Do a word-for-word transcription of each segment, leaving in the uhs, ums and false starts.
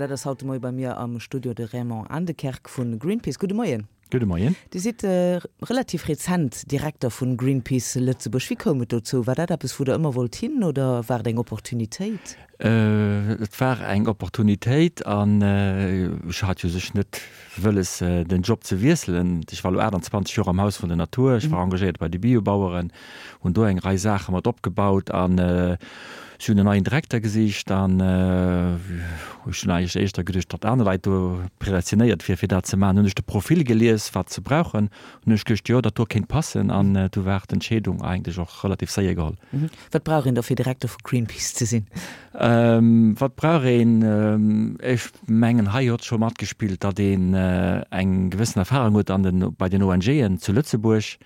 dat ass haut de Moie bei mir am Studio de Raymond Aendekerk vu Greenpeace. Gudde Moien. Gudde Moien. Dir sidd relativ rezent Direkter vu Greenpeace Lëtzebuerg. Wéi koum et dozou? War dat eppes, wou Der ëmmer wollt hin oder war et eng Opportunitéit? Et war eng Opportunitéit an ech hat jo sech net wëlles, den Job ze wiesselen. Ech war elo aachtanzwanzeg Joer am Haus vun der Natur, ech war engagéiert bei de Biobaueren, hunn do eng Rei Saache mat opgebaut an si hunn en neien Direkter gesicht an ech hunn eigentlech éischter geduecht, datt aner Leit do predestinéiert wier fir dat ze maachen. Hunn ech de Profil gelies, wat se brauchen, hunn ech geduecht, jo, dat do kéint passen an du war d'Entscheedung eigentlech och relativ séier geholl. Wat brauch een da fir Direkter vu Greenpeace ze sinn? Wat brauch een? Ech mengen, hei huet scho matgespillt, datt een eng gewëssen Erfahrung huet an den, bei den ONGen zu Lëtzebuerg.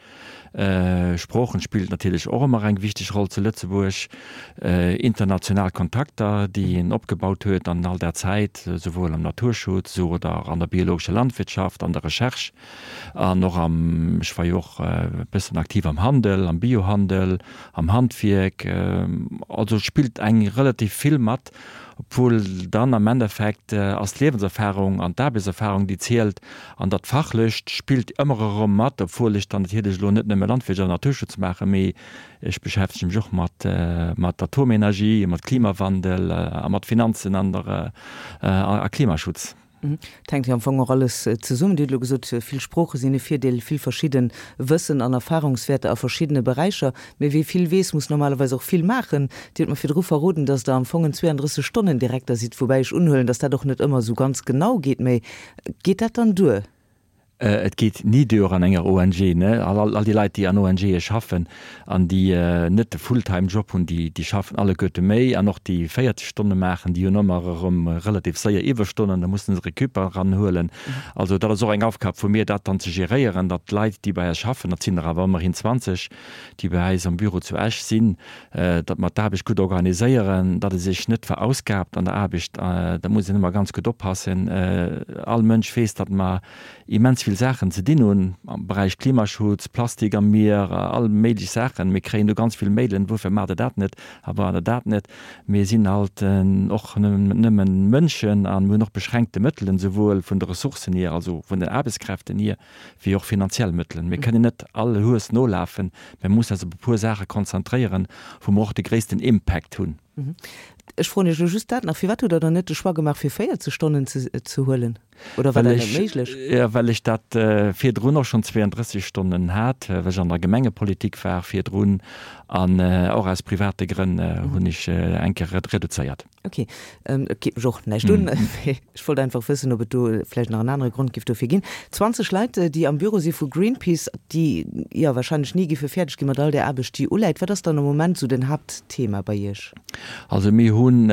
Sproochen spillt natierlech och ëmmer eng wichteg Roll zu Lëtzebuerg. International Kontakter, déi een opgebaut huet an all där Zäit, souwuel am Naturschutz esou oder an der biologescher Landwirtschaft, an der Recherche an och am, ech war jo och e bëssen aktiv am Handel, am Biohandel, am Handwierk. Also et spillt eng relativ vill mat, obwuel dann am Endeffekt ass d'Liewenserfahrung an d'Aarbechtserfahrung, déi zielt an dat Fachlecht spillt ëmmer erëm mat, obwuel ech dann natierlech elo net nëmme Landwirtschaft an Naturschutz maachen, mee ech beschäftege mech och mat mat Atomenergie, mat Klimawandel a mat Finanzen an der a Klimaschutz. Et hänkt jo am Fong och alles zesummen. Dir hutt elo gesot, vill Sprooche sinn e Virdeel, vill verschidde Wëssen an Erfahrungswäerter a verschiddene Beräicher. Mee wie vill weess, muss normalerweis och vill maachen. Dir hutt mer virdru verroden, datt Der am Fong en zweiunddrësseg Stonnen Direkter sidd, woubäi ech unhuelen, datt dat och net ëmmer esou ganz genau geet. Mee geet dat dann duer? Et geet ni duer an enger O N G. Ne? All, all déi Leit, déi an O N Ge schaffen an déi net de Fulltime-Job hunn, déi, déi schaffen alleguerte méi. An och déi véierzeg Stonne maachen, déi hunn ëmmer erëm relativ séier Iwwerstonnen, da mussen se Récup eranhuelen. Also dat ass och eng Aufgab vu mir, dat dann ze geréieren, datt d'Leit, déi bei eis schaffen, dat sinn der awer ëmmerhin zwanzeg, déi bei eis am Büro zu Esch sinn, datt mer d'Aarbecht gutt organiséieren, datt e sech net verausgaabt an der Aarbecht. Da muss een ëmmer ganz gutt oppassen. All Mënsch weess, datt mer immens vill Saachen ze dinn hunn am Beräich Klimaschutz, Plastik am Mier, all méiglech Saachen. Mir kréien do ganz vill Mailen, Woufir maacht Der dat net a maacht Der dat net? Mir sinn halt och nëmmen Mënschen a mir hunn och beschränkte Mëttelen, souwuel vun de Ressourcen hier, also vun den Aarbechtskräften hier, wéi och finanziell Mëttelen. Mir kënnen net all Hues nolafen, mir mussen eis op e puer Saache konzentréieren, wou mer och de gréissten Impact hunn. Ech froen Iech elo just dat nach, Firwat hutt Der dann net de Choix gemaach, fir véierzeg Stonnen ze ze huelen? Oder war Well dat net ech, méiglech? jo, well ech dat virdrun och schonn zweiunddrësseg Stonnen hat, well ech an der Gemengepolitik war virdrun an och aus private Grënn hunn ech eng Kéier reduzéiert. Ok, et geet mech och näischt un, mee ech wollt einfach wëssen, ob et do vläicht nach en anere Grond giff dofir ginn. zwanzeg Leit, déi am Büro si vu Greenpeace, déi jo wahrscheinlech ni giffe fäerdeg gi mat all där Aarbecht, déi uläit. Wat ass dann am Moment esou den Haaptthema bei Iech? Also mir hunn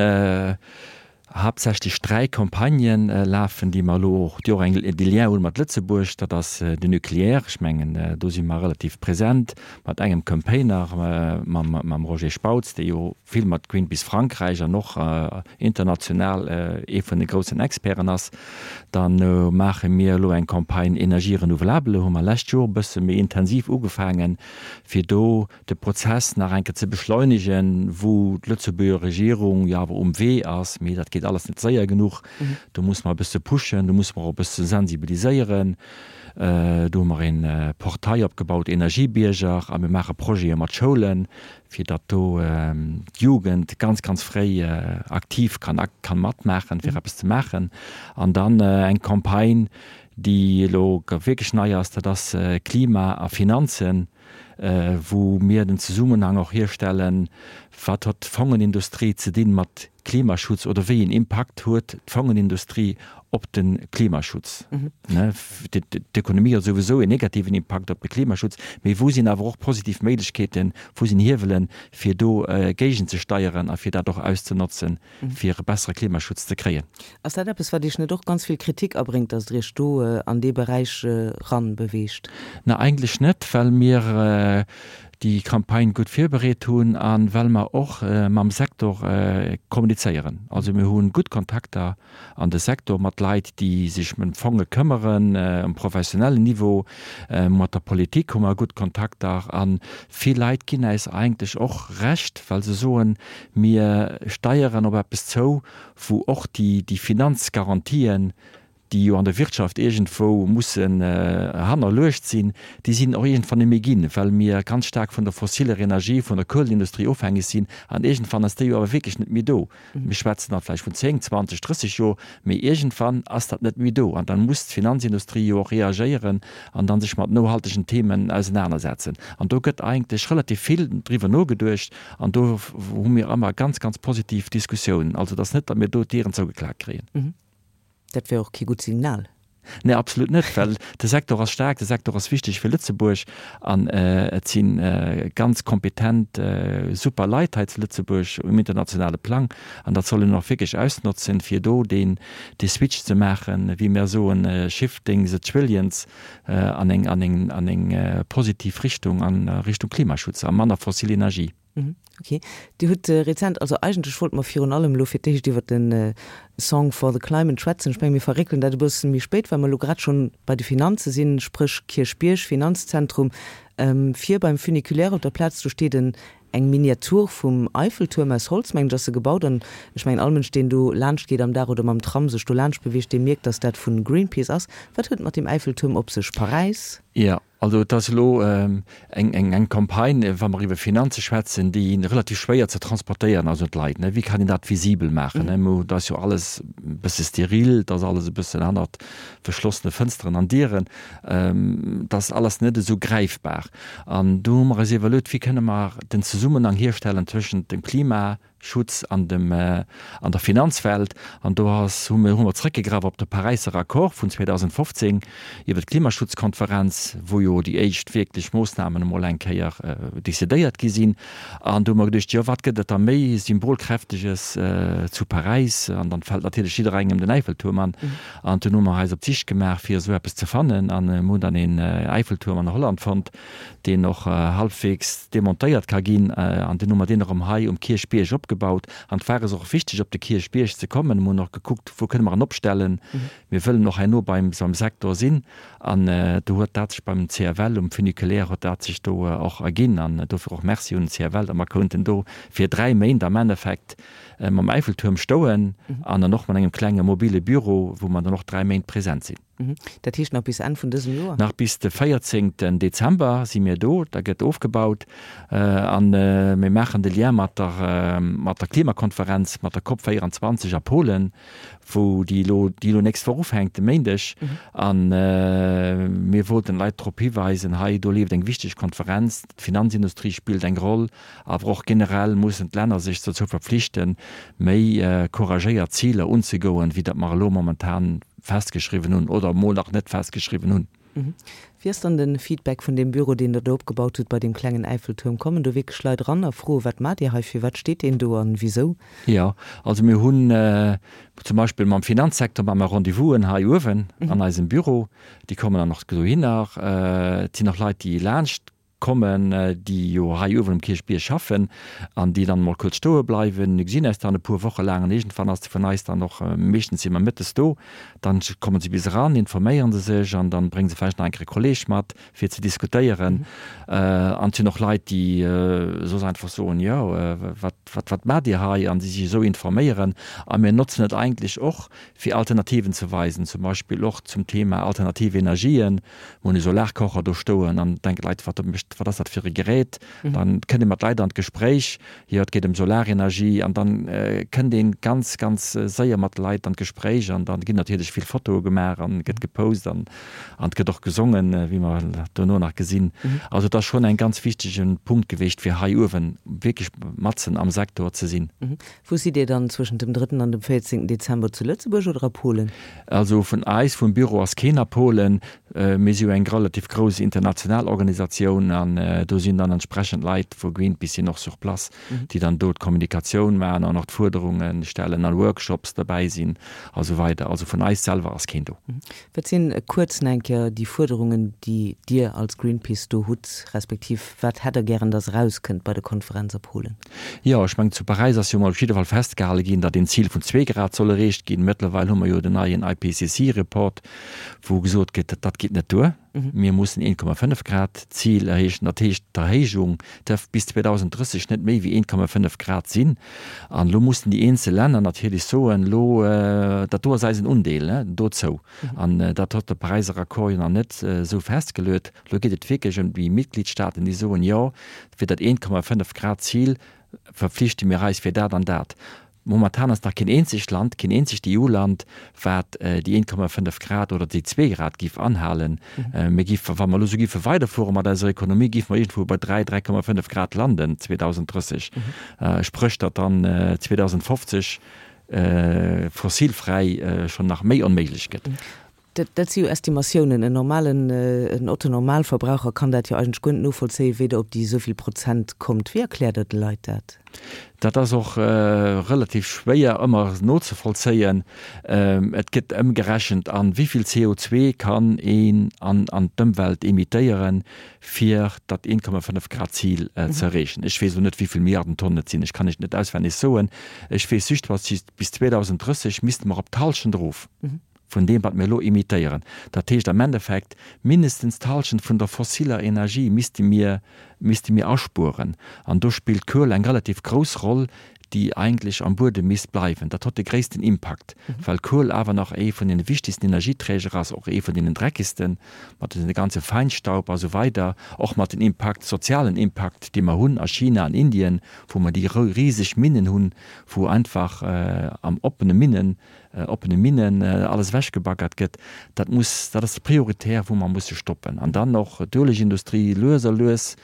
haaptsächlech dräi Campagnen lafen, déi mer elo och, déi och eng, de Lien hunn mat Lëtzebuerg. Dat ass den Nucléaire, ech mengen do si mer relativ present mat engem Campaigner, mam, mam Roger Spautz, dee jo vill mat Greenpeace Frankräich an och international ee vun de groussen Experten ass. Dann maache mir elo eng Campagne Énergie renouvelable, hu mer lescht Joer e bësse méi intensiv ugefaangen, fir do de Prozess nach eng Kéier ze beschleunegen, wou d'Lëtzebuerger Regierung jo awer um Wee ass, mee dat geet alles net séier genuch. Do muss mer e bësse pushen, do muss mer och e bësse sensibiliséieren. Do hu mer een Portail opgebaut, Energiebierger, a mir maache Projete mat Schoulen, fir datt do d'Jugend ganz, ganz fréi aktiv kann kann matmaachen, fir eppes ze maachen. An dann eng Campagne, déi elo wierklech nei ass, dat ass Klima a Finanzen, wou mir den Zesummenhang och hierstellen, wat huet d'Fongenindustrie ze dinn mat Klimaschutz oder wéi een Impakt huet d'Fongenindustrie op de Klimaschutz. D'Ekonomie huet souwisou en negativen Impakt op de Klimaschutz, mee wou sinn awer och positiv Méiglechkeeten, wou sinn Hiewelen, fir do géigenzesteieren a fir dat och auszenotzen, fir e bessere Klimaschutz ze kréien. Ass dat eppes, wat Iech net och ganz vill Kritik abréngt, datt Der Iech do an dee Beräich eran beweegt? Na, eigentlech net, well mir déi Campagne gutt virbereet hunn a well mer och mam Secteur kommunizéieren. Also mir hu gutt Kontakter an de Secteur mat Leit, déi sech ëm d'Fonge këmmeren um professionellen Niveau. Mat der Politik hu mer gutt Kontakter a vill Leit ginn eis eigentlech och Recht, well se soen, mir steieren op eppes zou, wou och déi Finanzgarantien, déi jo an der Wirtschaft iergendwou mussen hannerluecht sinn, déi sinn och iergendwann net méi ginn, well mir ganz staark vun der fossiller Energie, vun der Kuelindustrie ofhängeg sinn. An iergendwann ass déi jo awer wierklech net méi do. Mir schwätzen da vläicht vun zéng, zwanzeg, drësseg Joer, mee iergendwann ass dat net méi do. An da muss d'Finanzindustrie jo och reagéieren an da sech mat nohaltegen Themen ausenanersetzen. An do gëtt eigentlech relativ vill driwwer nogeduecht an do hu mir ëmmer ganz, ganz positiv Diskussiounen. Also et ass net, datt mir do d'Dieren zougeklaakt kréien. Dat wär och kee gutt Signal. Nee, absolut net, well de Secteur ass staark, de Secteur ass wichteg fir Lëtzebuerg an et si ganz kompetent, super Leit hei zu Lëtzebuerg um internationale Plang an dat soll een och wierklech ausnotzen, fir do deen, dee Switch ze maachen, wéi mir soen, shifting the trillions an eng, an eng, an eng positiv Richtung, a Richtung Klimaschutz a manner fossil Energie. Ok. Dir hutt rezent, also eigentlech wollte mer virun allem elo fir d'éischt iwwert de Song for the Climate schwätzen. Ech menge mir verréckelen dat e bësse méi spéit, well mer elo grad schonn bei de Finanze sinn, spréch Kierchbierg, Finanzzentrum. Vir beim Funiculaire op der Plaz, do steet en eng Miniatur vum Eiffeltuerm aus Holz, mengen ech, ass se gebaut. An ech mengen all Mënsch, deen do laanscht geet am Dag oder mam Tram sech do laanscht beweegt, dee mierkt, datt dat vu Greenpeace ass. Wat huet et mat deem Eiffeltuerm op sech? Paräis? Jo. Also et ass elo eng Campagne, wa mer iwwer Finanze schwätzen, déi relativ schwéier ze transportéieren ass un d'Leit. Wéi kann een dat visibel maachen? Et ass jo alles e bësse steril, et ass alles e bëssen hannert verschlossene Fënsteren an Dieren, et ass alles net esou gräifbar. An do hu mer eis iwwerluet, wéi kënne mer den Zesummenhang hierstellen tëschent dem Klima, Schutz an dem, an der Finanzwelt. An do ass, hu mir, hu mer zrëckgegraff op de Paräisser Accord vun zweedausendfofzéng iwwer d'Klimaschutzkonferenz, wou jo déi éischt wierklech Moossnamen emol eng Kéier decidéiert gi sinn. An do hu mer geduecht, jo, wat gëtt et da méi Symbolkräfteges zu Paräis? An dann fält natierlech jidderengem den Äiffeltuerm an. An dunn hu mer eis op d'Sich gemaach, fir esou eppes ze fannen. An mir hunn dann een Äiffeltuerm an Holland fonnt, deen och halbwegs demontéiert ka ginn, an dunn hu mer deen erëm hei um Kierchbierg opgebaut. An et war eis och wichteg, op de Kierchbierg ze kommen. Mir hunn och gekuckt, wou kënne mer en opstellen. Mir wëllen och herno beim beim Secteur sinn. An do huet dat sech beim C F L um Funiculaire huet dat sech do och erginn. An dofir och Merci un den C F L, datt mer konnten do fir dräi Méint am Endeffekt mam Eiffeltuerm stoen an dann och mat engem klenge mobile Büro, wou mer dann och dräi Méint present sinn. Dat heescht nach bis Enn vun dësem Joer? Nach bis de véierzéngten Dezember si mir do. Da gëtt ofgebaut a mir maachen de Lien mat der mat der Klimakonferenz, mat der COP véierundzwanzeg a Polen, wou déi elo déi elo nächst Woch ufänkt, de Méindeg. A mir wollten d'Leit drop hiweisen, hei do leeft eng wichteg Konferenz, d'Finanzindustrie spillt eng Roll, awer och generell mussen d'Länner sech dozou verpflichten, méi couragéiert Ziler unzegoen, wéi dat mer elo momentan festgeschriwwen hunn oder emol nach net festgeschriwwen hunn. Wéi ass dann de Feedback vun deem Büro, deen Der do opgebaut hutt, bei deem klengen Äiffeltuerm? Kommen do wierklech Leit eran a froen, Wat maacht Dir hei, firwat steet deen do an wisou? Jo, also mir hunn zum Beispill mam Finanzsecteur maache mer Rendez-vousen hei uewen an eisem Büro. Déi kommen dann och dohinner. Et sinn och Leit, déi laanscht kommen, déi jo hei uewen um Kierchbierg schaffen an déi dann emol kuerz stoe bleiwen. Mir gesinn eis dann e puer Woche laang an iergendwann ass de vun eis dann och, meeschtens si mer mëttes do, dann komme se bis eran, informéiere se sech an dann brénge se vläicht nach eng Kéier e Kolleeg mat, fir ze diskutéieren. An et sinn och Leit, déi soss einfach soen, jo, wat, wat, wat maacht Dir hei? An déi sech esou informéieren. A mir notzen et eigentlech och, fir Alternativen ze weisen, zum Beispill och zum Thema alternativ Energien. Mir hunn e Solarkocher do stoen an denken d'Leit, wat mécht, wat ass dat fir e Gerät? Dann kënnt ee mat Leit an d'Gespréich, jo et geet ëm Solarenergie an dann kënnt ee ganz, ganz séier mat Leit an d'Gespréich an dann ginn natierlech vill Fotoe gemaach an gëtt gepost an an et gëtt och gesongen, wéi mer dono nach gesinn. Also et ass schonn eng ganz wichtege Punkt gewiescht, fir hei uewen wierklech matzen am Secteur ze sinn. Wou sidd Dir dann zwëschent dem drëtten an dem véierzéngten Dezember, zu Lëtzebuerg oder a Polen? Also vun eis, vum Büro ass keen a Polen. Mir si jo eng relativ grouss international Organisatioun An do sinn dann entsprechend Leit vu Greenpeace sinn och sur place, déi dann do d'Kommunikatioun maachen an och d'Fuerderunge stellen, an Workshops derbäi sinn a sou weider. Also vun eis selwer ass keen do. Wat sinn kuerz nach eng Kéier déi Fuerderungen, déi Dir als Greenpeace do hutt, respektiv wat hätt Der gären, dass erauskënnt bei der Konferenz a Polen? Jo, ech mengen, zu Paräis ass jo mol op jidde Fall festgehale ginn, datt een Zil vun zwee Grad soll erreecht ginn. Mëttlerweil hu mer jo den neien I P C C Report, wou gesot gëtt, dat geet net duer, mir mussen een Komma fënnef Grad Zil erreechen. Dat heescht, d'Erhéijung dierf bis zweedausend drësseg net méi wéi een Komma fënnef Grad sinn. An elo mussen déi eenzel Länner natierlech soen, elo, dat do ass eisen Undeel dozou. An dat huet de Paräiser Accord jo nach net esou festgeluet. Elo geet et wierklech ëm déi Mitgliedstaaten, déi soen, jo, fir dat een Komma fënnef Grad Zil verpflichte mir eis fir dat an dat. Momentan ass nach keen eenzegt Land, keen eenzegt E U-Land, wat déi een Komma fënnef Grad oder déi zwee Grad géif anhalen. Mir géife, wa mer elo esou géife weiderfuere mat eiser Ekonomie, géife mer iergendwou bei dräi, dräi Komma fënnef Grad landen zweedausend drësseg. Spréch, datt dann zweedausend fofzeg fossilfräi schonn nach méi onméiglech gëtt. Dat si jo Estimatiounen. En normalen, en Otto-Normalverbraucher kann dat jo eigentlech guer net novollzéien, wéi Der op déi esou vill Prozent kommt. Wéi erkläert Der de Leit dat? Dat ass och relativ schwéier ëmmer nozevollzéien. Et gëtt ëmgerechent an wéi vill C O zwee kann een an an d'Ëmwelt emittéieren, fir dat een Komma fënnef Grad Zil ze erreechen. Ech weess elo net, wéi vill Milliarden Tonnen et sinn. Ech kann lech net auswenneg soen. Ech weess just, bis zweedausend drësseg misste mer op d'Hallschent erof vun deem, wat mir elo emittéieren. Dat heescht am Endeffekt, mindestens d'Hallschent vun der fossiller Energie misste mir, misste mir aspueren. An do spillt d'Kuel eng relativ grouss Roll, déi eigentlech am Buedem misst bleiwen. Dat huet de gréissten Impakt, well Kuel awer nach ee vun deene wichtigsten Energieträger ass, och ee vun deenen dreckigsten, mat de ganze Feinstaub a sou weider, och mat den Impakt, sozialen Impakt, dee mer hunn a China an Indien, wou mer déi riseg Minnen hunn, wou einfach am oppene Minnen, oppene Minnen alles ewechgebaggert gëtt. Dat muss, dat ass prioritär, wou mer musse stoppen. An dann och d'Uelegindustrie, lues a lues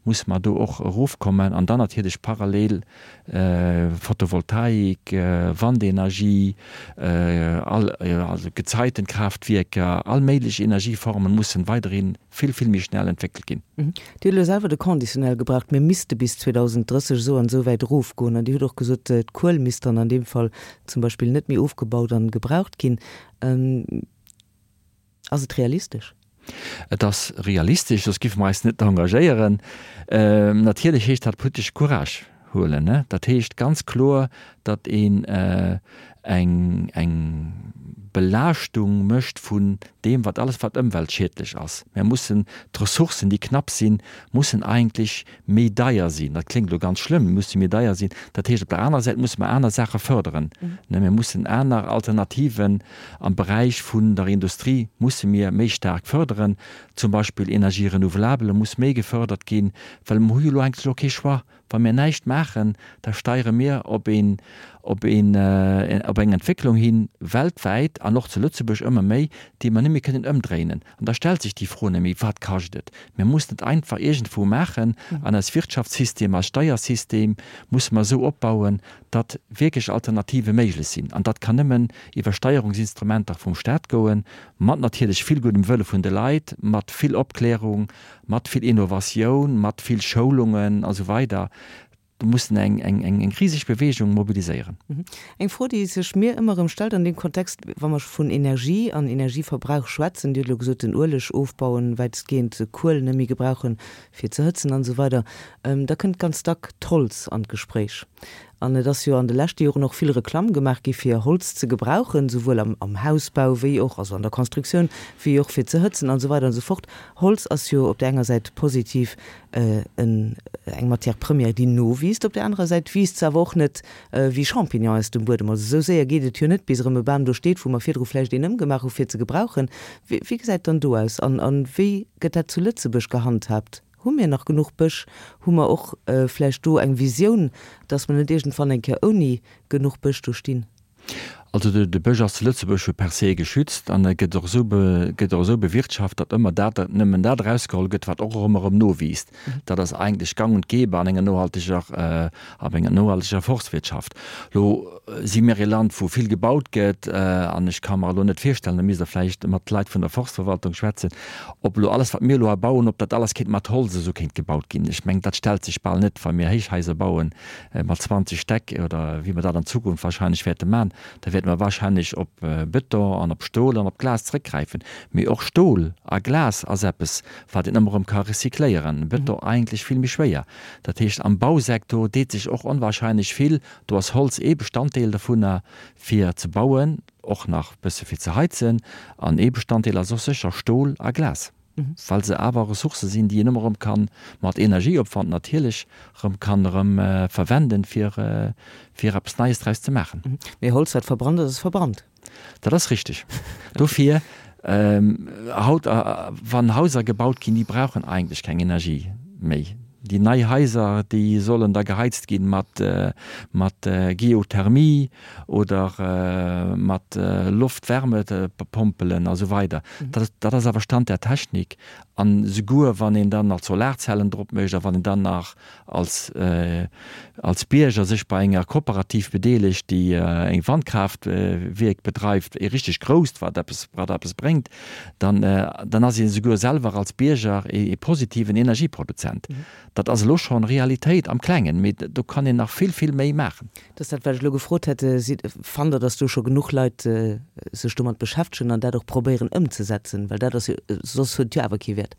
musse mer do och erofkommen. An dann natierlech parallel Photovoltaik, Wandenergie, all, also Gezeitenkraftwierker, all méiglech Energieformen mussen weiderhi vill, vill méi schnell entwéckelt ginn. Dir hutt elo selwer de Conditionnel gebraucht, mir misste bis zweedausend drësseg esou an esou wäit erofgoen. An Dir hutt och gesot, d'Kuel misst dann an deem Fall zum Beispill net méi ofgebaut an gebraucht ginn. Ass et realistesch? Et ass realistesch, soss géife mer eis net engagéieren. Natierlech heescht dat politesche Courage huelen. Dat heescht ganz kloer, datt een eng eng Belaaschtung mécht vun deem, wat alles wat ëmweltschiedlech ass. Mir mussen d'Ressourcen, déi knapp sinn, mussen eigentlech méi deier sinn. Dat kléngt elo ganz schlëmm, musse méi deier sinn. Dat heescht, op der anerer Säit musse mer aner Saache fërderen. Mir mussen aner Alternativen am Beräich vun der Industrie musse mir méi staark fërderen. Zum Beispill Energie renouvelable muss méi gefërdert ginn, well mer hu jo elo eigentlech elo kee Choix. Wa mir näischt maachen, da steiere mir op een, op een, op eng Entwécklung hin, weltwäit an och zu Lëtzebuerg ëmmer méi, déi mer net méi kënnen ëmdréinen. An da stellt sech déi Fro net méi, Wat kascht et? Mir mussen et einfach iergendwou maachen an eist Wirtschaftssystem, eist Steiersystem musse mer esou opbauen, datt wierklech Alternative méiglech sinn. An dat kann nëmmen iwwer Steierungsinstrumenter vum Staat goen, mat natierlech vill guddem Wëlle vun de Leit, mat vill Opklärung, mat vill Innovatioun, mat vill Schoulungen a sou weider. Do mussen eng, eng, eng, eng riseg Beweegung mobiliséieren. Eng Fro, déi sech mir ëmmer erëm stellt an deem Kontext, wa mer vun Energie an Energieverbrauch schwätzen, Dir hutt elo gesot, den Ueleg ofbauen, wäitestgehend Kuel net méi gebrauchen, fir ze hëtzen an esou weider, da kënnt ganz dack d'Holz an d'Gespréich. An et ass jo an de leschte Joren och vill Reklamm gemaach gi fir Holz ze gebrauchen, souwuel am am Hausbau wéi och, also an der Constructioun, wéi och fir ze hëtzen an esou weider an esou fort. Holz ass jo op där enger Säit positiv en eng Matière première, déi nowiisst, op där anerer Säit wiisst se awer och net wéi Champignon aus dem Buedem. Also esou séier geet et jo net, bis erëm e Bam do steet, wou mer virdru vläicht een ëmgemaach hu fir ze gebrauchen. Wéi wéi gesäit dann do aus an an wéi gëtt dat zu Lëtzebuerg gehandhaabt? Hu mir nach genuch Bësch? Hu mer och vläicht do eng Visioun, dass mer net iergendwann eng Kéier ouni genuch Bësch do stinn? Also de, de Bësch ass zu Lëtzebuerg jo per se geschützt an e gëtt och esou be, gëtt och esou bewirtschaft, datt ëmmer dat, nëmmen dat erausgeholl gëtt, wat och erëm erëm nowiisst. Dat ass eigentlech gang und gäbe an enger nohalteger, äh, ab enger nohalteger Forstwirtschaft. Lo si mir e Land, wou vill gebaut gëtt, äh, an ech ka mer elo net virstellen, da misst Der vläicht mat Leit vun der Forstverwaltung schwätzen, ob elo alles, wat mir elo hei bauen, ob dat alles kéint mat Holz esou kéint gebaut ginn. Ech mengen, dat stellt sech bal net, wa mir Héichhaiser bauen, äh, mat zwanzeg Stäck oder wéi mer dat an Zukunft wahrscheinlech wäerte man, da wäerte mer wahrscheinlech op Bëton an op Stol an op Glas zréckgräifen. Mee och Stol a Glas ass eppes, wat een ëmmer erëm ka recycléieren, Bëton eigentlech vill méi schwéier. Dat heescht, am Bausektor deet sech och onwahrscheinlech vill. Do ass Holz ee Bestanddeel dovunner, fir ze bauen, och nach bësse fir ze heizen. An ee Bestanddeel ass och sécher Stol a Glas, well se awer Ressourcë sinn, déi een ëmmer erëm kann, mat Energieopwand natierlech, erëm kann erëm verwenden, fir, fir eppes Neies draus ze maachen. Mee Holz, wat verbrannt ass, ass verbrannt. Dat ass richteg. Dofir, haut, wann Haiser gebaut ginn, déi brauchen eigentlech keng Energie méi. Déi nei Haiser, déi sollen da geheizt ginn mat, mat Geothermie oder mat Loftwärmepompelen a sou weider. Dat, dat ass awer Stand der Technik. An souguer wann een dann nach Solarzellen drop mécht a wann een dann nach als, als Bierger sech bei enger Kooperativ bedeelegt, déi eng Wandkraaftwierk bedreift, ee richteg grousst, wat eppes, wat eppes bréngt, dann, dann ass een esouguer selwer als Bierger ee positiven Energieproduzent. Dat ass elo schonn Realitéit am Klengen, mee do kann een nach vill, vill méi maachen. Dat ass dat, wat ech elo gefrot hätt. Sidd, fannt Der, datt do scho genuch Leit sech domat beschäftegen an dat och probéieren ëmzesetzen? Well dat ass jo, soss huet et jo awer kee Wäert.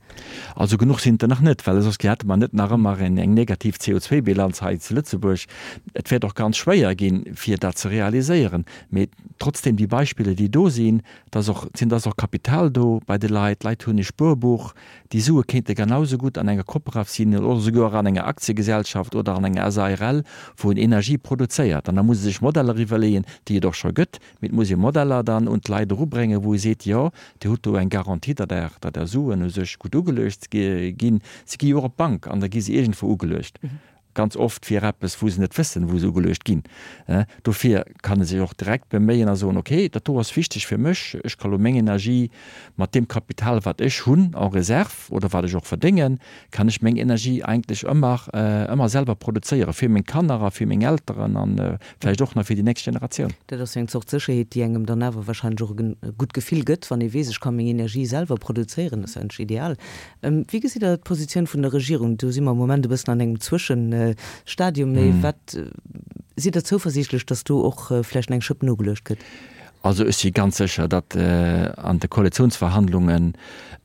Also genuch sinn et der nach net, well soss hätte mer net nach ëmmer eng negativ C O zwei Bilanz hei zu Lëtzebuerg. Et wäert och ganz schwéier ginn, fir dat ze realiséieren. Mee trotzdem, déi Beispiller, déi do sinn, da ass och, sinn, da ass och Kapital do bei de Leit, d'Leit hunn e Spuerbuch, déi Sue kéinte genau esou gutt an enger Cooperative sinn oder souguer an enger Aktiegesellschaft oder an enger SARL, wou een Energie produzéiert. An da muss ee sech Modeller iwwerleeën, déi et och scho gëtt, mee et muss ee Modeller dann un d'Leit erubréngen, wou ee seet, jo, Dir hutt do eng Garantie, datt Är, datt Är Suen u sech gutt ugeluecht ginn. Se gi jo och op d'Bank an da gi se iergendwou ugeluecht. Ganz oft fir eppes, wou se net wëssen, wou se ugeluecht ginn. Dofir kann e sech och direkt beméien a soen, okay, dat do ass wichteg fir mech, ech ka lo meng Energie mat deem Kapital, wat ech hunn en réserve oder wat ech och verdéngen, kann ech meng Energie eigentlech ëmmer, ëmmer selwer produzéieren, fir meng Kanner a fir meng Elteren a vläicht och nach fir déi nächst Generatioun. Dat ass jo eng Zort Sécherheet, déi engem dann awer wahrscheinlech och e gutt Gefill gëtt, wann ee weess, ech ka meng Energie selwer produzéieren. Dat ass jo eigentlech ideal. Wéi gesitt Der d'Positioun vun der Regierung? Do si mer am Moment e bëssen an engem Zwëschenstadium. Mee wat, sidd Der zouversiichtlech, datt do och vläicht nach eng Schëpp nogeluecht gëtt? Also ech si ganz sécher, datt an de Koalitionsverhandlungen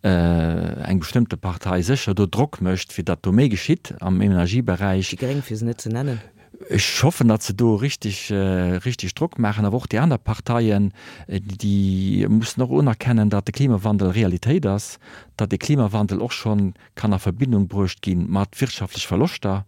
eng bestëmmte Partei sécher do Drock mécht, fir datt do méi geschitt am Energieberäich. Déi Gréng, fir se net ze nennen. Ech hoffen, datt se do richtig, richtig Drock maachen. Awer och déi aner Parteien, déi mussen och unerkennen, datt de Klimawandel Realitéit ass, datt de Klimawandel och scho kann a Verbindung bruecht gi mat wirtschaftlech Verloschter,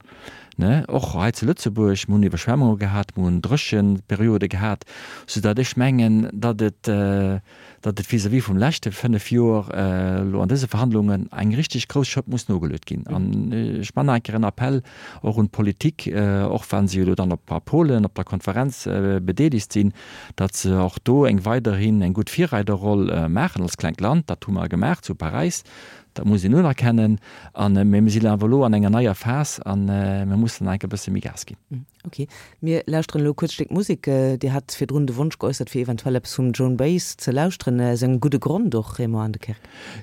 ne, och hei zu Lëtzebuerg. Mir hunn Iwwerschwemmunge gehat, mir hunn Drécheperiode gehat, soudatt ech mengen, datt et, datt et vis-à-vis vum leschte fënnef Joer elo an dëse Verhandlungen eng richtig grouss Schëpp muss nogeluet ginn. An ech man nach eng Kéier en Appell och un d'Politik, och wa se elo dann op a Polen op der Konferenz bedeelegt sinn, datt se och do eng weiderhin eng gutt Virreiderroll maachen als klengt Land. Dat hu mer gemaach zu Paräis, dat muss een unerkennen. An, mee mir sinn awer elo an enger neier Phas a mir mussen nach eng Kéier e bësse méi Gas ginn. Ok, mir lauschteren elo e kuerzt Stéck Musek. Dir hat virdrun de Wonsch geäussert, fir eventuell eppes vum Joan Baez ze lauschteren. Aus engem gudde Grond och, Raymond Aendekerk.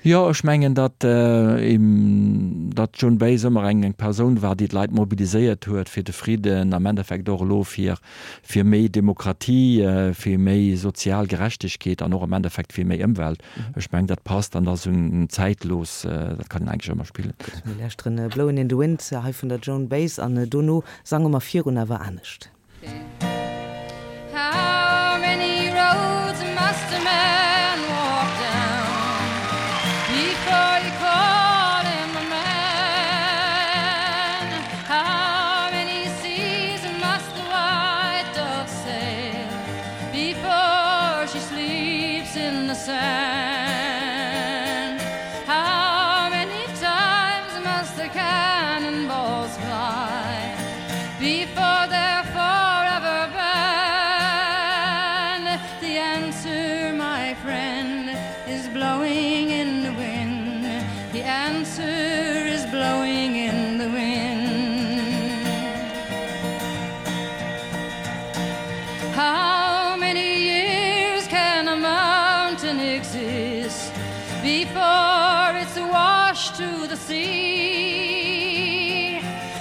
Jo, ech mengen, datt datt d'Joan Baez ëmmer eng eng Persoun war, déi d'Leit mobiliséiert huet fir de Fridden, am Endeffekt och elo fir fir méi Demokratie, fir méi sozial Gerechtegkeet an och am Endeffekt fir méi Ëmwelt. Ech mengen, dat passt an ass un zäitlos, dat kann een eigentlech ëmmer spillen. Gutt, mir lauschteren Blowin' in the Wind hei vun der Joan Baez an dono sange mer virun awer anescht. How many roads must a man walk down before you call him a man? How many seas must the white dove sail before she sleeps in the sand? How many times must the cannonballs fly before they're forever banned? before it's washed to the sea?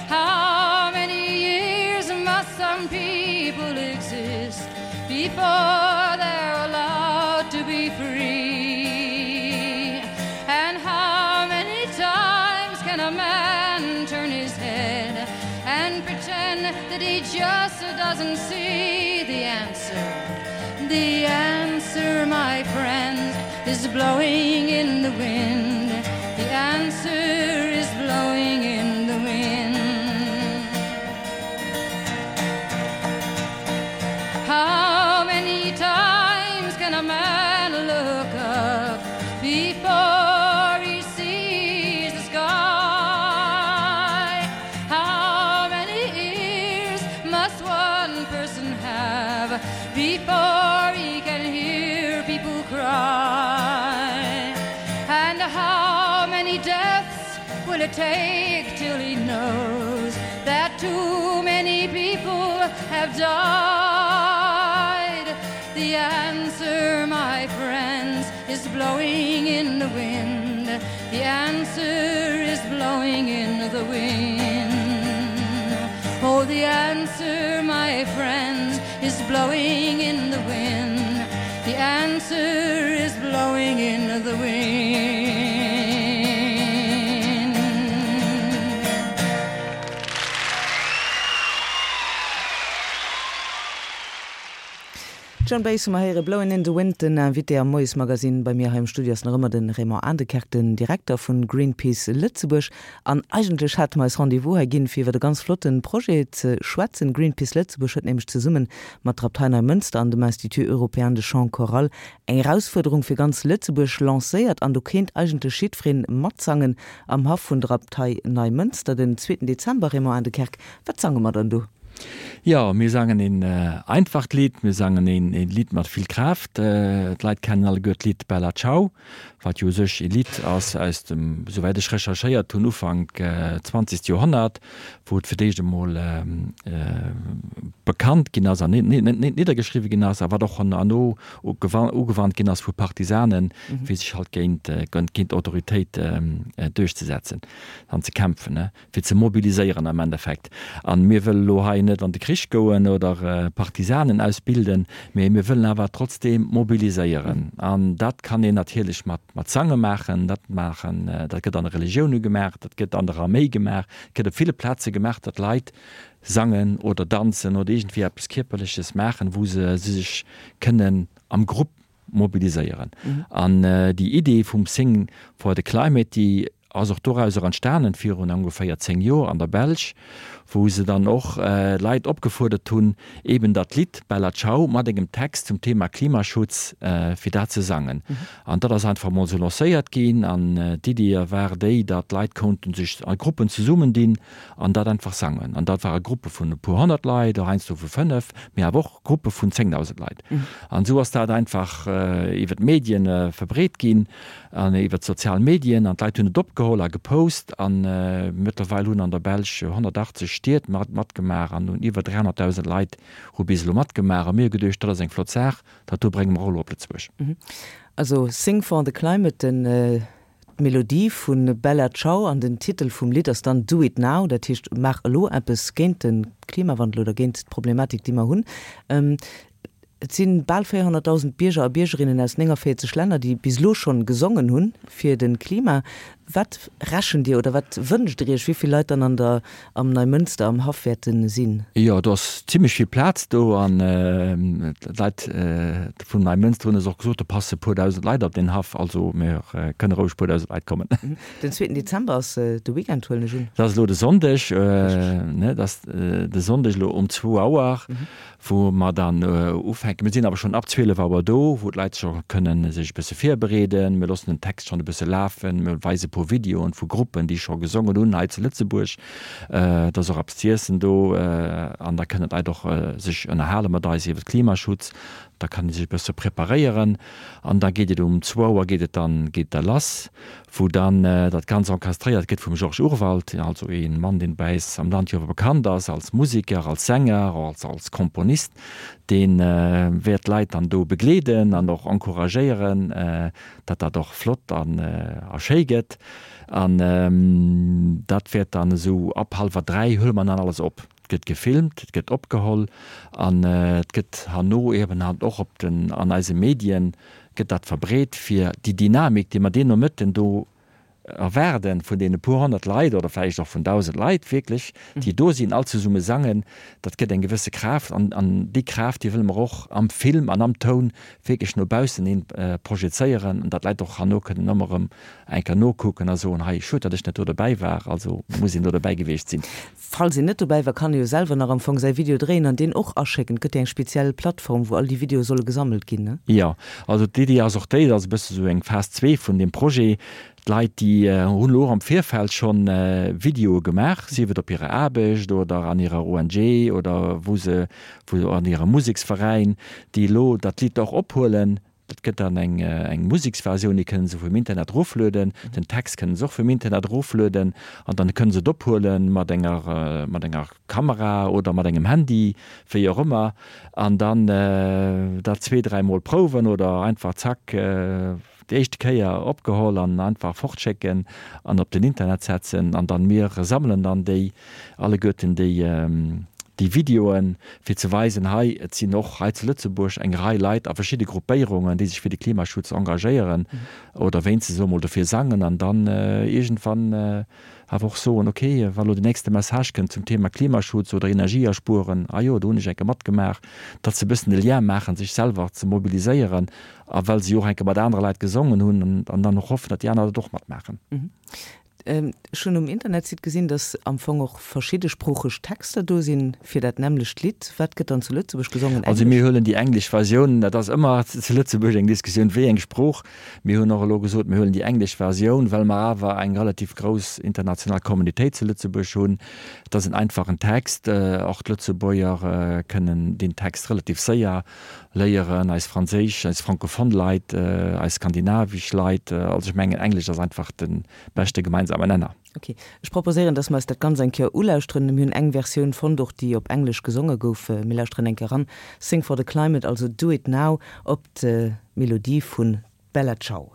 How many years must some people exist before they're allowed to be free? And how many times can a man turn his head and pretend that he just doesn't see the answer? The answer, my friends, is blowing in the wind. The answer is blowing in the wind. How many times can a man look up before he sees the sky? How many ears must one person have before he can hear people cry? And how many deaths will it take till he knows that too many people have died? The answer, my friends, is blowing in the wind. The answer is blowing in the wind. Oh, the answer, my friends, is blowing in the wind. The answer is blowing in the wind. Joan Baez hu mer héiere Blowin' in the Wind, den Invité am Moiesmagazine. Bei mir hei am Studio ass nach ëmmer de Raymond Aendekerk, den Direkter vu Greenpeace Lëtzebuerg. An eigentlech hate mer eis Rendez-vous hei ginn, fir iwwer e ganz flotte Projet ze schwätzen. Greenpeace Lëtzebuerg huet nämlech zesumme mat der Abtei Neimënster an dem Institut Européen de Chant Choral eng Erausfuerderung fir ganz Lëtzebuerg lancéiert an do kéint eigentlech jiddweree matsangen am Haff vun der Abtei Neimënster den zweeten Dezember. Raymond Aendekerk, wat sange mer dann do? Jo, mir sangen een einfacht Lidd, mir sangen een een Lidd mat vill Kraaft. D'Leit kennen alleguer d'Lidd Bella Ciao, wat jo u sech ee Lidd ass aus dem, souwäit ech recherchéiert hunn, Ufank zwanzegt Joerhonnert, wou et fir d'éischt emol bekannt ginn ass an niddergeschriwwe ginn ass a wat och herno ugewannt ginn ass vu Partisanen, fir sech halt géint géint d'Autoritéit duerchzesetzen an ze kämpfen. fir ze mobiliséieren am Endeffekt. An mir wëlle lo hei net an de Krich goen oder Partisanen ausbilden, mee mir wëllen awer trotzdeem mobiliséieren. An dat kann een natierlech mat mat Sange maachen, dat maachen, dat gëtt an de Relioune gemaach, dat gëtt an der Arméi gemaach, gëtt op ville Plaze gemaach, datt Leit sangen oder danzen oder iergendwéi eppes Kierperleches maachen, wou se sech kënnen am Grupp mobiliséieren. An déi Idee vum Sing for the Climate, déi ass och dorauser entstanen virun ongeféier zéng Joer an der Belsch, wou se dann och Leit opgefuerdert hunn, eben dat Lidd Bella Ciao mat engem Text zum Thema Klimaschutz, fir dat ze sangen. An dat ass einfach emol esou lancéiert ginn an d'Iddi war déi, datt d'Leit konnten sech a Gruppen zesummendinn an dat einfach sangen. An dat ware Gruppe vun e puer honnert Leit, och heiansdo vu fënnef, mee awer och Gruppe vun zéngdausend Leit. An esou ass dat einfach iwwer d'Medien verbreet ginn an iwwer d'sozial Medien an d'Leit hunn et opgeholl a gepost an mëttlerweil hunn an der Belsch honnertachtzeg Stied mat matgemaach an hunn iwwer dräihonnertdausend Leit hu bis elo matgemaach a mir hu geduecht, dat ass eng flott Saach, dat do brénge mer och elo op Lëtzebuerg. Also Sing for the Climate, den d'Melodie vu Bella Ciao an den Titel vum Lidd ass dann Do It Now, dat heescht maach elo eppes géint de Klimawandel oder géint d'Problematik déi mer hunn. Et si bal véierhonnertdausend Bierger a Biergerinnen aus néngavéierzeg Länner, déi bis elo schonn gesongen hunn fir de Klima. Wat rechent Dir oder wat wënscht Der Iech, wéi vill Leit dann an der am Neimënster am Haff wäerte sinn? Jo, do ass zimmlech vill Plaz do an d'Leit vun Neimënster hunn eis och gesot, do passe puer dausend Leit op deen Haff. Also mir kënne roueg puer dausend Leit kommen. Den zweeten Dezember ass de Weekend, huelen ech un. Dat ass elo de Sonndeg, ne, dat ass de Sonndeg elo um zwou Auer. wou mer dann ufänken. Mir sinn awer schonn ab zwielef Auer do, wou d'Leit scho kënnen sech e bësse virbereeden. Mir loossen den Text schonn e bësse lafen. Mir weise e puer Videoen vu Gruppen, déi scho gesongen hunn hei zu Lëtzebuerg. Et ass och eppes z'iessen do an da kënnen d'Leit och sech ënnerhale mat eis iwwer Klimaschutz. Da kann ee sech e bësse preparéieren an da geet et um zwou Auer geet et dann geet da lass, wou dann dat Ganzt orchestréiert gëtt vum Georges Urwald, also ee Mann, deen bei eis am Land jo awer bekannt ass als Museker, als Sänger, als als Komponist. Dee wäert d'Leit dann do begleeden an och encouragéieren, datt dat och flott an a schéi gëtt. An dat wäert dann esou ab hallwer dräi huele mer dann alles op. Et gëtt gefilmt, et gëtt opgeholl an et gëtt herno eben halt och op den an eise Medien gëtt dat verbreet, fir déi Dynamik, déi mer deen Nomëtten do erwaarden, vun deene puer honnert Leit oder vläicht och vun dausend Leit wierklech, déi do sinn, all zesumme sangen, dat gëtt eng gewësse Kraaft an an déi Kraaft, déi wëlle mer och am Film an am Toun wierklech no baussen hin projezéieren an datt d'Leit och herno kënnen ëmmer erëm eng Kéier nokucken a soen, hei, schued, datt ech net do dobäi war, also muss een do dobäi gewiescht sinn. Falls een net dobäi war, kann ee jo selwer nach am Fong säi Video dréien an deen och aschécken. Et gëtt jo eng speziell Plattform, wou all déi Videoe solle gesammelt ginn, ne? Jo, also d'Iddi ass och déi, dat ass e bësse sou eng Phas zwee vun deem Projet, d'Leit déi hunn elo och am Virfeld schonn Videoe gemaach, sief et op hirer Aarbecht oder an hirer ONG oder wou se, wou an hirem Museksveräin, déi elo dat Lidd och ophuelen. Dat gëtt dann eng eng Museksversioun, déi kënnen se vum Internet eroflueden. Den Text kënnen se och vum Internet eroflueden an dann kënnen se et ophuelen mat enger mat enger Kamera oder mat engem Handy, wéi och ëmmer, an dann dat zwee, dräi Mol prouwen oder einfach zack déi éischte Kéier opgeholl an einfach fortschécken an op den Internet setzen an dann mir sammelen dann déi alleguerten déi déi Videoen, fir ze weisen, hei, et sinn och hei zu Lëtzebuerg eng Rei Leit a verschidde Gruppéierungen, déi sech fir de Klimaschutz engagéieren oder wéinstens elo mol dofir sangen an dann iergendwann awer och soen, okay, wa lo den nächste Message kënnt zum Thema Klimaschutz oder Energieaspueren, ah jo, do hunn ech eng Kéier matgemaach, datt se e bëssen de Lien maachen, sech selwer ze mobiliséieren a well se jo och eng Kéier mat anere Leit gesongen hunn an dann och hoffen, datt déi aner dat och matmaachen. Ech hunn um Internetsite gesinn, dass am Fong och verschiddesproocheg Texter do sinn fir dat nämmlecht Lidd. Wat gëtt dann zu Lëtzebuerg gesongen? Also mir huelen déi englesch Versioun. Dat ass ëmmer zu Lëtzebuerg eng Diskussioun, wéi eng Sprooch. Mir hunn och elo gesot, mir huelen déi englesch Versioun, well mer awer eng relativ grouss international Communitéit zu Lëtzebuerg hunn. Et ass en einfachen Text. Och d'Lëtzebuerger kënnen deen Text relativ séier léieren, eis franséisch, eis francophone Leit, eis skandinavisch Leit. Also ech mengen, Englesch ass einfach de beschte gemeinsamen Nenner. Ok, ech proposéieren, dass mer eis dat Ganzt eng Kéier ulauschteren. Mir hunn eng Versioun fonnt, och déi op Englesch gesonge gouf. Mir lauschteren eng Kéier eran, Sing for the Climate, also Do It Now, op d'Melodie vu Bella Ciao.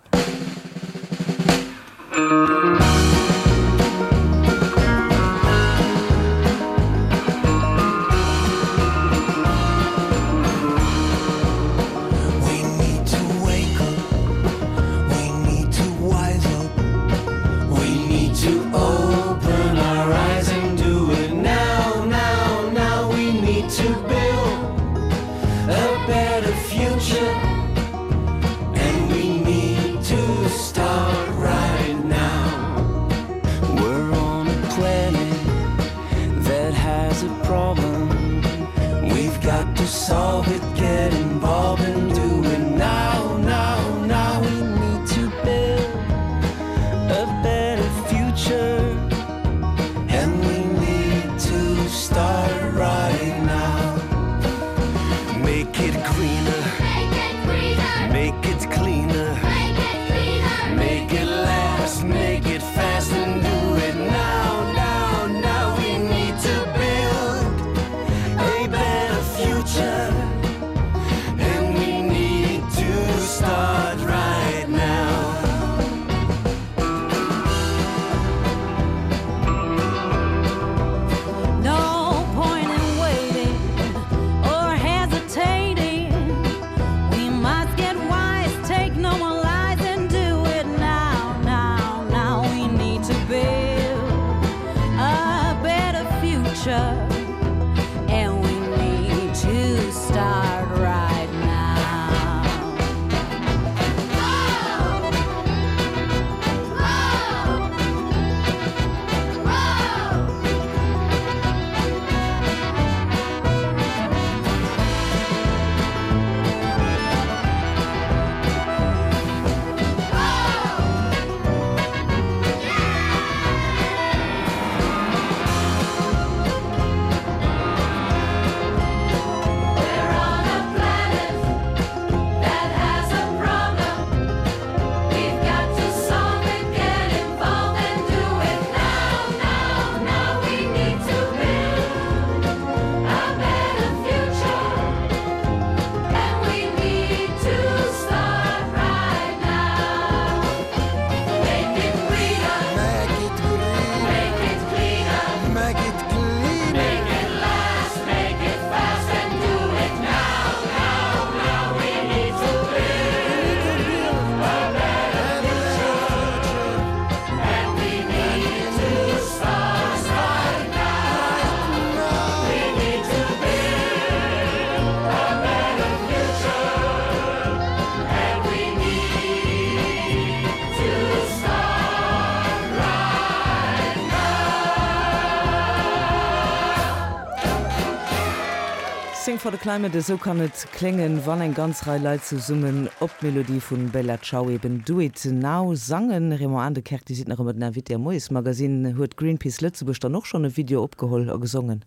Sing for the Climate, esou kann et kléngen, wann eng ganz Rei Leit zesummen op d'Melodie vun Bella Ciao, eben Do It Now, sangen. Raymond Aendekerk, Dir sidd nach ëmmer den Invité am Moiesmagazine. Huet Greenpeace Lëtzebuerg dann och schonn e Video opgeholl a gesongen?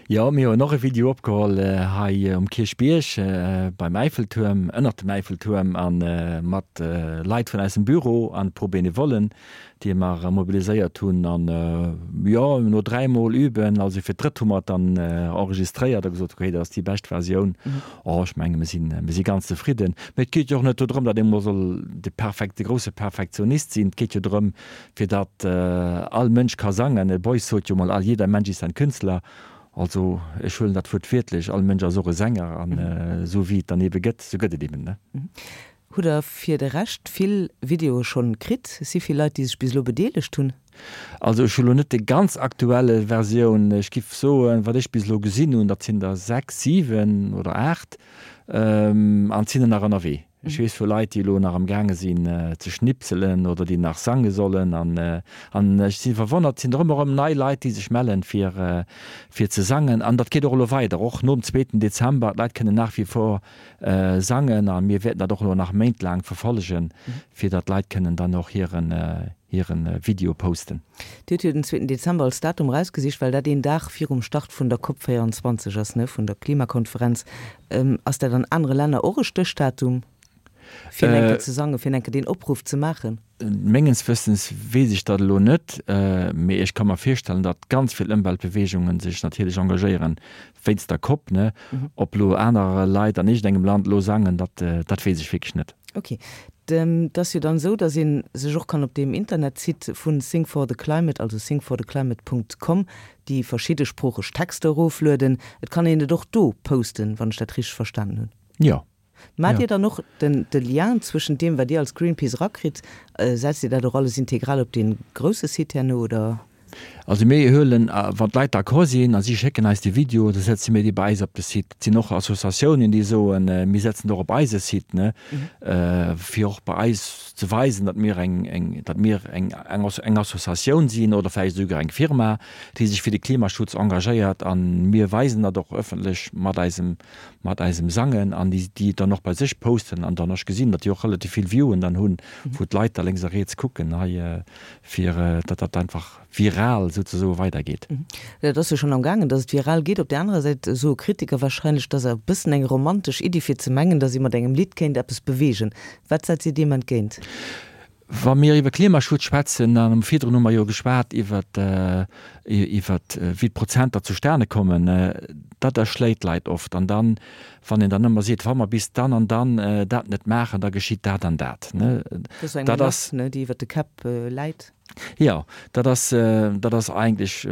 Jo, mir hunn och e Video opgeholl hei um Kierchbierg beim Äiffeltuerm, ënnert dem Äiffeltuerm a mat Leit vun eisem Büro an e puer Benevollen, déi mer mobiliséiert hunn an jo, no dräi mol üben, also fir d'drëtt hu mer et dann enregistréiert a gesot, okay, dat ass déi bescht Versioun. Oh, ech menge mir sinn, mir si ganz zefridden. Mee et geet jo och net dodrëm, datt ee mol soll de perfekte, grousse Perfektionist sinn. Et geet jo drëm, fir datt all Mënsch ka sangen. De Beuys sot jo mol, All jeder Mensch ist ein Künstler. Also ech huelen dat Wuert wiertlech, all Mënsch ass och e Sänger an esou wéi et dann eebe gëtt, esou gëtt et eeben, ne? Hutt der fir de Rescht vill Videoe schonn kritt? Si vill Leit, déi sech bis elo bedeelegt hunn? Also ech hu lo net déi ganz aktuelle Versioun. Ech giff soen, wat ech bis elo gesinn hunn, dat sinn der sechs, siwen oder aacht an et sinn der nach ënnerwee. Ech weess vu Leit, déi elo nach am gaange sinn ze schnipselen oder déi nach sange sollen an an ech si verwonnert, et sinn der ëmmer erëm nei Leit, déi sech mellen fir fir ze sangen an dat geet och elo weider, och nom zweeten Dezember. D'Leit kënnen nach wie vor sangen a mir wäerten dat och elo nach méintlaang verfollegen, fir datt d'Leit kënnen dann och hiren hiren Video posten. Dir hutt jo den zweeten Dezember als Datum erausgesicht, well dat een Dag virum Start vun der Cop véierundzwanzeg ass, ne, vun der Klimakonferenz. Ass dat an anere Länner och e Stéchdatum, fir eng Kéier ze sangen, fir eng Kéier deen Opruff ze maachen? Mengens Wëssens weess ech dat elo net, mee ech ka mer virstellen, datt ganz vill Ëmweltbeweegungen sech natierlech engagéieren wéinst der Cop. Ne? Ob elo aner Leit an iergendengem Land elo sangen, dat, dat weess ech wierklech net. Ok. Et ass jo dann esou, datt ee sech och kann op deem Internetsite vu Sing for the Climate, also singfortheclimate Punkt com, déi verschidde sproocheg Texter eroflueden. Et kann een et och do posten, wann ech dat richteg verstanen hunn. Jo. Maacht Dir dann och den de Lien zwëschent deem, wat Dir als Greenpeace erakritt? Setzt Dir dat och alles integral op dee grousse Site herno, oder? Also mir huelen, wann d'Leit d'accord sinn a si schécken eis de Video, da setze mir dee bei eis op de Site. Et sinn och Associatiounen, déi soen, mir setzen et och op eise Site, ne, fir och bei eis ze weisen, datt mir eng, eng, datt mir eng, eng Associatioun sinn oder vläicht esouguer eng Firma, déi sech fir de Klimaschutz engagéiert. A mir weisen dat och ëffentlech mat eisem, mat eisem Sangen an déi, déi et dann och bei sech posten an dann ech gesinn, datt déi och relativ vill Viewen dann hunn, wou d'Leit da lénks a riets kucken hei, fir datt dat einfach viral souzesoe weidergeet. Dat ass jo schonn am gaangen, datt et viral geet. Op där anerer Säit soe Kritiker wahrscheinlech, et ass e bëssen eng romantesch Iddi fir ze mengen, datt ee mat engem Lidd kéint eppes beweegen. Wat setzt Dir deem entgéint? Wa mir iwwer Klimaschutz schwätzen, an virdrun hu mer jo geschwat iwwer iwwer wéi d'Prozenter zustane kommen, dat erschléit d'Leit oft. An dann, wann een dann ëmmer seet, wa mer bis dann an dann dat net maachen, da geschitt dat an dat, Dat ass eng Menace, déi iwwer de Käpp läit. Jo, dat ass, dat ass eigentlech,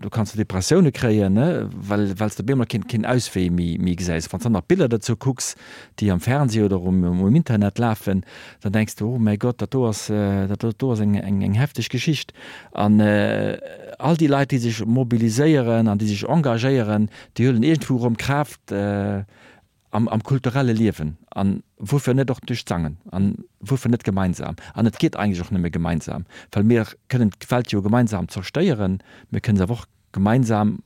do kanns de Depressioune kréien, ne, well, well s de op eemol keen, keen Auswee méi, méi gesäis. Wann s de dann nach Biller dozou kucks, déi am Fernseh oder um, um Internet lafen, dann denks de, oh mäi Gott, dat do ass, dat do ass eng, eng, eng hefteg Geschicht. An all déi Leit, déi sech mobiliséieren an déi sech engagéieren, déi huelen iergendwou erëm Kraaft, am, am kulturelle Liewen an wuerfir net och duerch d'Sangen an wuerfir net gemeinsam. An et geet eigentlech och nëmme gemeinsam, well mir kënnen d'Welt jo gemeinsam zerstéieren, mir kënnen se awer och gemeinsam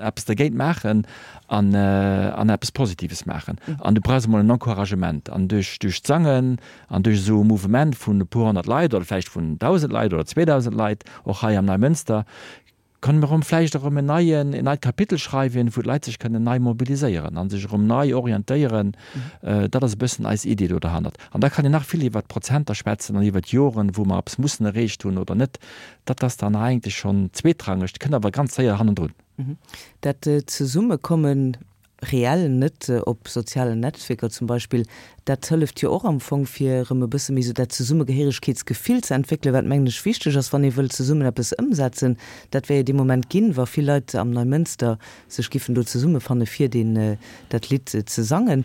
eppes dergéint maachen an, an eppes Positives maachen. An du brauchs emol en Encouragement an duerch, duerch d'Sangen an duerch esou e Mouvement vun e puer honnert Leit oder vläicht vun dausend Leit oder zweedausend Leit och hei am Neimënster, Kënne mer erëm vläicht erëm en neien, en neit Kapitel schreiwen, wou d'Leit sech kënnen nei mobiliséieren a sech erëm nei orientéieren. Dat ass e bëssen eis Idee do derhannert. An da kann een nach vill iwwert d'Prozenter schwätzen an iwwert d'Joren, wou mer eppes mussen erreecht hunn oder net. Dat ass dann eigentlech schonn zweetrangeg, kënnt awer ganz séier hannendrun. Dat Zesummekommen reell, net op sozialen Netzwierker zum Beispill, dat hëlleft jo och am Fong fir erëm e bësse méi esou dat Zesummegehéiregkeetsgefill ze entwéckelen, wat mengen ech wichteg ass, wann ee wëllt zesummen eppes ëmsetzen. Dat wär jo dee Moment ginn, wa vill Leit am Neimënster sech giffen do zesummefanne fir deen dat Lidd ze sangen.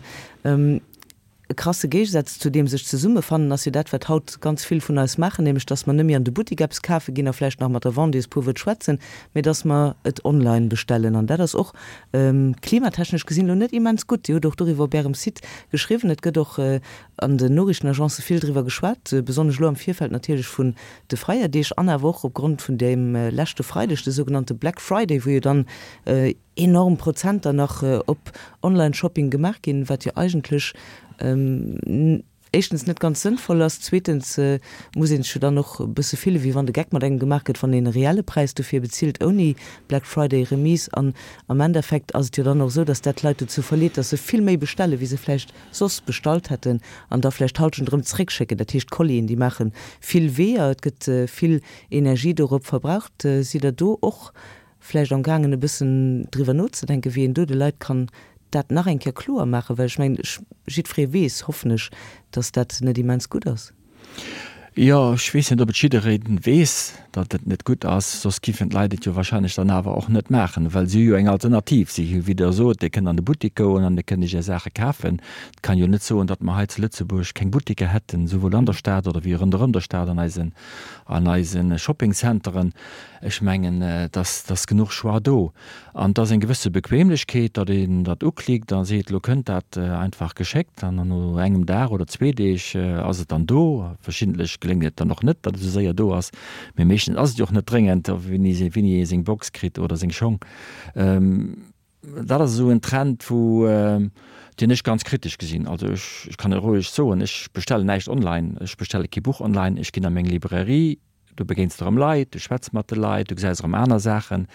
E krasse Géigesaz zu deem sech zesummefannen ass jo dat, wat haut ganz vill vun eis maachen, nämlech dass mer net méi an de Buttik eppes kafe ginn a vläicht nach mat der Vendeuse puer Wuert schwätzen, mee dass mer et online bestellen. An dat ass och klimatechnesch gesinn elo net immens gutt. Dir hutt och doriwwer op Ärem Site geschriwwen. Et gëtt och an den Noriichtenagencë vill driwwer geschwat, besonnesch elo am Virfeld natierlech vun de Feierdeeg an awer och opgrond vun deem leschte Freideg, de sougenannte Black Friday, wou jo dann enorm Prozenter nach op Online-Shopping gemaach ginn, wat jo eigentlech éischtens net ganz sënnvoll ass, zweetens muss een sech jo dann och e bësse fillen, wéi wann de Geck mat engem gemaach gëtt, wann een e reelle Präis dofir bezilt, ouni Black Friday Remise. An am Endeffekt ass et jo dann och esou, dass dat d'Leit dozou verleet, dass se vill méi bestellen, wéi se vläicht soss bestallt hätten an da vläicht d'Halschent erëm zréckschécken. Dat heescht, d'Collien, déi maache vill Weeër, et gëtt vill Energie dorop verbraucht. Sidd Der do och vläicht am gaangen e bëssen driwwer nozedenken, wéi een do de Leit kann dat nach eng Kéier kloer maachen? Well ech mengen, jiddweree weess, hoffen ech, datt dat net immens gutt ass. Jo, ech weess net, ob et jidderee weess, datt et net gutt ass, soss giffen d'Leit et jo wahrscheinlech dann awer och net maachen, well si hu jo eng Alternativ. Si hu, wéi Der sot, Dir kënnt an de Buttik goen an Dir kënnt Iech Är Saache kafen. Et kann jo net soen, datt mer hei zu Lëtzebuerg keng Buttiker hätten, souwuel an der Stad oder wéi ronderëm der Stad an eisen, an eise Shoppingcenteren. Ech mengen, et ass genuch Choix do. An et ass eng gewësse Bequemlechkeet, datt een dat uklickt a seet, elo kënnt dat einfach geschéckt an dann no engem Dag oder zwee Deeg ass et dann do. Verschiddentlech geléngt et dann och net, datt et esou séier do ass, mee meeschtens ass et jo och net dréngend, wéini ee seng Box kritt oder seng Schong. Dat ass esou en Trend, wou, deen ech ganz kritesch gesinn. Also ech kann et roueg soen, ech bestellen näischt online, ech bestelle kee Buch online, ech ginn a meng Librairie, do begéins de erëm Leit, du schwätz mat de Leit, du gesäis erëm aner Saachen,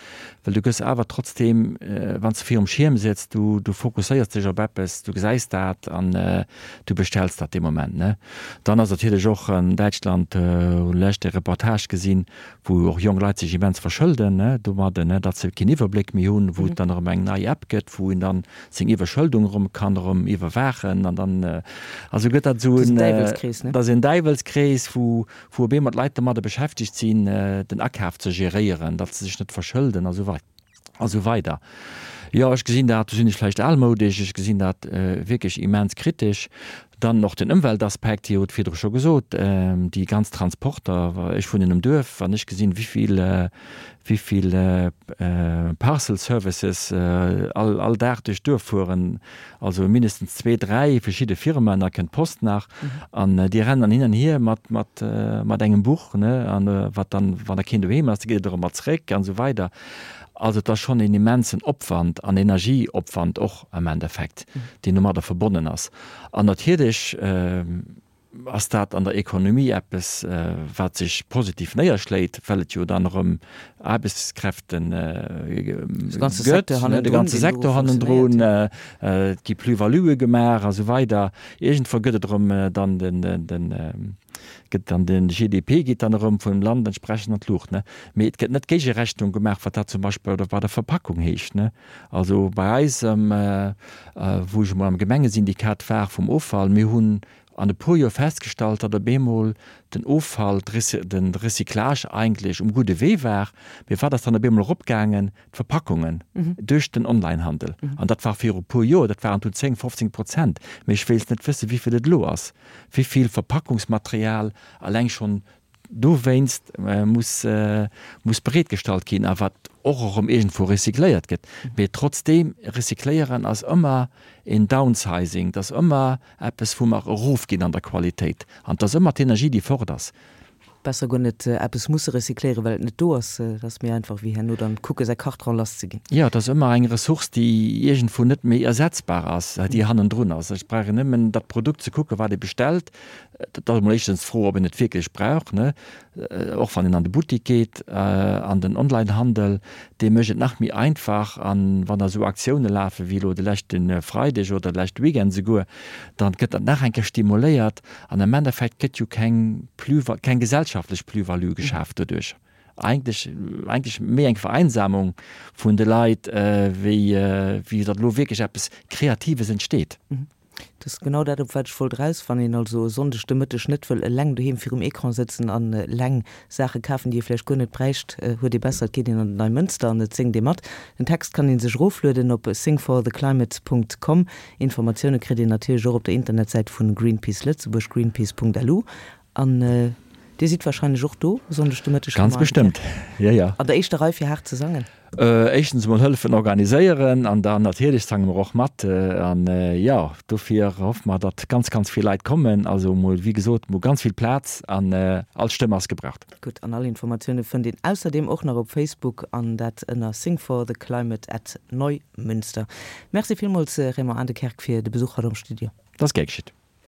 well du gëss awer trotzdeem, wann s de virum Schierm sëtz, du du fokusséiers dech op eppes, du gesäis dat an du bestells dat dee Moment, ne. Dann ass natierlech och an Däitschland, hunn lech e Reportage gesinn, wou och jonk Leit sech immens verschëlden, ne, domadden, ne, datt se keen Iwwerbléck méi hunn, wou et dann erëm eng nei App gëtt, wou een dann seng Iwwerschëldung erëm kann erëm iwwerwaachen an dann, also gëtt dat esou en, dat ass en Däiwelskrees, wou, wou op eemol d'Leit domadde beschäftegt sinn, den Akaf ze geréieren, datt se sech net verschëlden a sou wei a sou weider. Jo, ech gesinn dat, do sinn ech vläicht almoudesch, ech gesinn dat wierklech immens kritesch. Dann och den Ëmweltaspekt, Dir hutt virdru scho gesot, déi ganz Transporter. Ech wunnen um Duerf, wann ech gesinn, wéi vill, wéi vill Parcel Services all, all Dag duerch d'Duerf fueren, also mindestens zwee, dräi verschidde Firmen, da kënnt d'Post nach an déi rennen dann hin an hier mat, mat, mat engem Buch, ne, an wat dann, wann da keen doheem ass, da geet et erëm mat zréck an esou weider. Also et ass schonn een immensen Opwand an Energieopwand och am Endeffekt, deen domadder verbonnen ass. An natierlech ass dat an der Ekonomie eppes, wat sech positiv néierschléit, well et jo dann erëm Aarbechtskräfte gëtt, de ganze Secteur hannendrun, et gi Plus-valuë gemaach a sou weider. Iergendwou gëtt et erëm dann den, gëtt dann den G D P geet dann erëm vum Land entsprechend an d'Luucht, ne? Mee et gëtt net d'Géigerechnung gemaach, wat dat zum Beispill bei der Verpackung heescht, ne? Also bei eis, wou ech emol am Gemengesyndikat war vum Offall, mir hunn an e puer Joer festgestallt, datt op eemol den Offall, de Recyclage eigentlech um gudde Wee war. Mee wat ass dann op eemol eropgaangen? D'Verpackungen duerch den Onlinehandel. An dat war viru puer Joer, dat waren dunn zéng, fofzéng Prozent. Mee ech wéilt net wëssen, wéi vill et elo ass, wéi vill Verpackungsmaterial alleng schonn dowéinst muss, muss bereetgestallt ginn a wat och erëm iergendwou recycléiert gëtt. Mee trotzdeem, recycléieren ass ëmmer een Downsizing, dat ass ëmmer eppes, wou mer erofginn an der Qualitéit. An et ass ëmmer d'Energie, déi fort ass. Besser guer net eppes musse recycléieren, well et net do ass. Et ass méi einfach, wéi herno dann kucke säi Kartron lass ze ginn. Jo, et ass ëmmer eng Ressource, déi iergendwou net méi ersetzbar ass, déi hannendrun ass. Ech brauch nëmmen dat Produkt ze kucken, wat ee bestellt. Dat ass emol éischtens d'Fro, ob een et wierklech brauch, ne? Och wann een an de Buttik geet, an den Onlinehandel, dee mécht et nach méi einfach. An wann da esou Aktioune lafen, wéi elo de leschte Freideg oder de leschte Weekend esouguer, dann gëtt dat nach eng Kéier stimuléiert. An am Endeffekt gëtt jo keng Plus, keng gesellschaftlech Plus-value geschaaft doduerch. Eigentlech, eigentlech méi eng Vereinsamung vun de Leit, wéi, wéi datt elo wierklech eppes Kreatives entsteet. Dat ass genau dat, op wat ech wollt eraus. Wann een also e Sonndeg de Mëtteg net wëll eleng doheem virum Ecran sëtzen an eleng Saache kafen, déi ee vläicht guer net bräicht, huet ee besser, et geet een an den Neimënster an et séngt ee mat. Den Text kann ee sech eroflueden op singfortheclimate Punkt com. Informatioune kritt een natierlech och op der Internetsäit vu Greenpeace Lëtzebuerg, greenpeace Punkt lu. An Dir sidd wahrscheinlech och do e Sonndeg de Mëtteg, Ganz bestëmmt, jo, jo. An der éischter Rei fir haart ze sangen? Éischtens emol hëllefen organiséieren an dann natierlech sange mer och mat. An jo, dofir hoffe mer, datt ganz, ganz vill Leit kommen. Also emol, wéi gesot, emol ganz vill Plaz an all Stëmm ass gebraucht. Gutt, an all Informatioune fënnt een ausserdeem och nach op Facebook an dat ënner Sing for the Climate at Neumünster. Merci villmools Raymond Adekerk fir de Besuch haut am Studio. Dat ass gär geschitt.